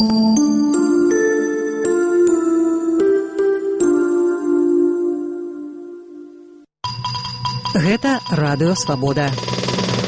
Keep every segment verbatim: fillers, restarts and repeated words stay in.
Гэта радыё «Свабода».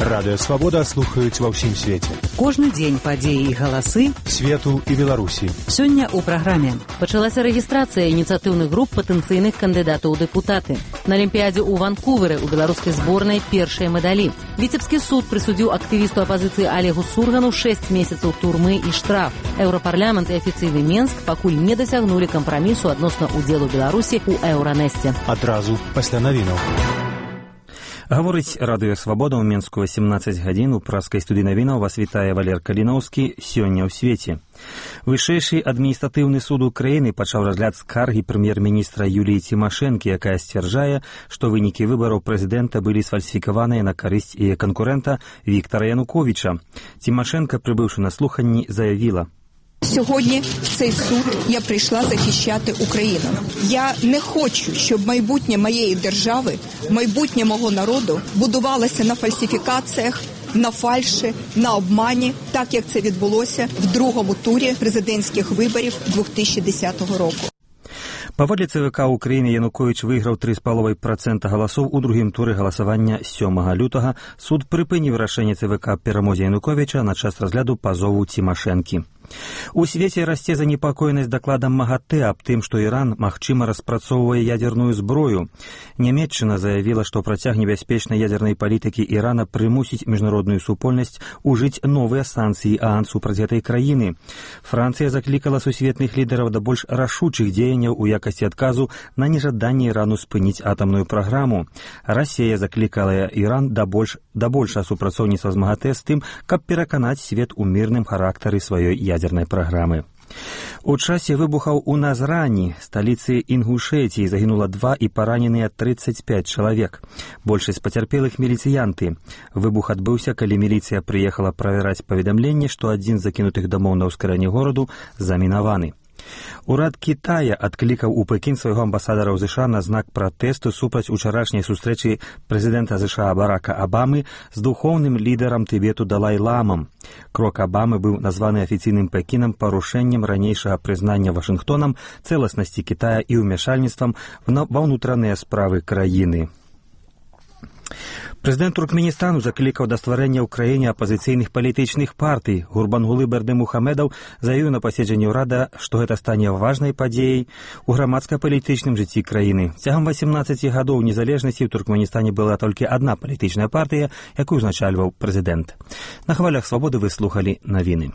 Радыё «Свабода» слухаюць ва ўсім свеце. Кожны дзень падзеі і галасы свету і Беларусі. Сёння ў праграме пачалася рэгістрацыя ініцыятыўных груп патэнцыйных кандыдатаў у дэпутаты. На Алімпіядзе ў Ванкуверы ў беларускай зборнай першыя медалі. Віцебскі суд прысудзіў актывісту апазіцыі Олегу Сургану шэсць месяцаў турмы і штраф. Еўрапарламент і афіцыйны Менск пакуль не дасягнулі кампрамісу адносна ўдзелу Беларусі ў Еўранэсце. Адразу пасля навінаў. Гаворыць радыё «Свабода» ў Менску васемнаццаць гадзін. У праскай студыі навінаў вас вітае Валер Каліноўскі. Сёння ў свеце. Вышэйшы адміністратыўны суд Украіны пачаў разгляд скаргі прэм'ер-міністра Юліі Цімашэнкі, якая сцвярджае, што вынікі выбараў прэзідэнта былі сфальсіфікаваныя на карысць яе канкурэнта Віктара Януковіча. Цімашэнка, прибывши на слуханні, заявіла: Сьогодні в цей суд я прийшла захищати Україну. Я не хочу, щоб майбутнє моєї держави, майбутнє мого народу будувалося на фальсифікаціях, на фальші, на обмані, так як це відбулося в другому турі президентських виборів дві тисячі десятого року. Паводле ЦВК Украіны Януковіч выйграў тры з паловай працэнта галасоў у другім туры галасавання сёмага лютага. Суд прыпыніў рашэнне ЦВК аб перамозе Януковіча на час разгляду пазову Цімашэнкі. У свеце расце занепакоенасць дакладам МАГАТЭ аб тым, што Іран, магчыма, распрацоўвае ядерную зброю. Нямецчына заявіла, што працяг небяспечнай ядернай палітыкі Ірана прымусіць міжнародную супольнасць ужыць новыя санкцыі ААН супраць гэтай краіны. Францыя заклікала сусветных лідараў да больш рашучых дзеянняў у якасці адказу на нежаданне Ірану спыніць атамную праграму. Расія заклікала Іран да больш да большага супрацоўніцтва з МАГАТЭ з тым, каб пераканаць свет у мірным характары сваёй ядернай праграмы. У часе выбухаў у Назрані, сталіцы Інгушэтіі, загінула два і параненыя трыццаць пяць чалавек. Большасць пацярпелых міліцыянты. Выбух адбыўся, калі міліцыя прыехала правяраць паведамленне, што адзін з закінутых дамоў на ўскрайні гораду замінаваны. Урад Китая адклікаў у Пекін свайго амбасадара ў ЗША на знак пратэсту супраць учарашняй сустрэчы прэзідэнта ЗША Барака Абамы з духоўным лідарам Тыбету Далай-ламам. Крок Абамы быў названы афіцыйным Пекінам парушэннем ранейшага прызнання Вашынгтонам цэласнасці Китая і ўмяшальніцтвам ва ўнутраныя справы краіны. Прэзідэнт Туркменістану заклікаў да стварэння ў краіне апазіцыйных палітычных партый. Гурбангулы Бердымухамедаў заявіў на паседжанні ўрада, што гэта стане важнай падзеяй у грамадска-палітычным жыцці краіны. Цягам васемнаццаці гадоў незалежнасці ў Туркменістане была толькі адна палітычная партыя, якую ўзначальваў прэзідэнт. На хвалях «Свабоды» вы слухалі навіны.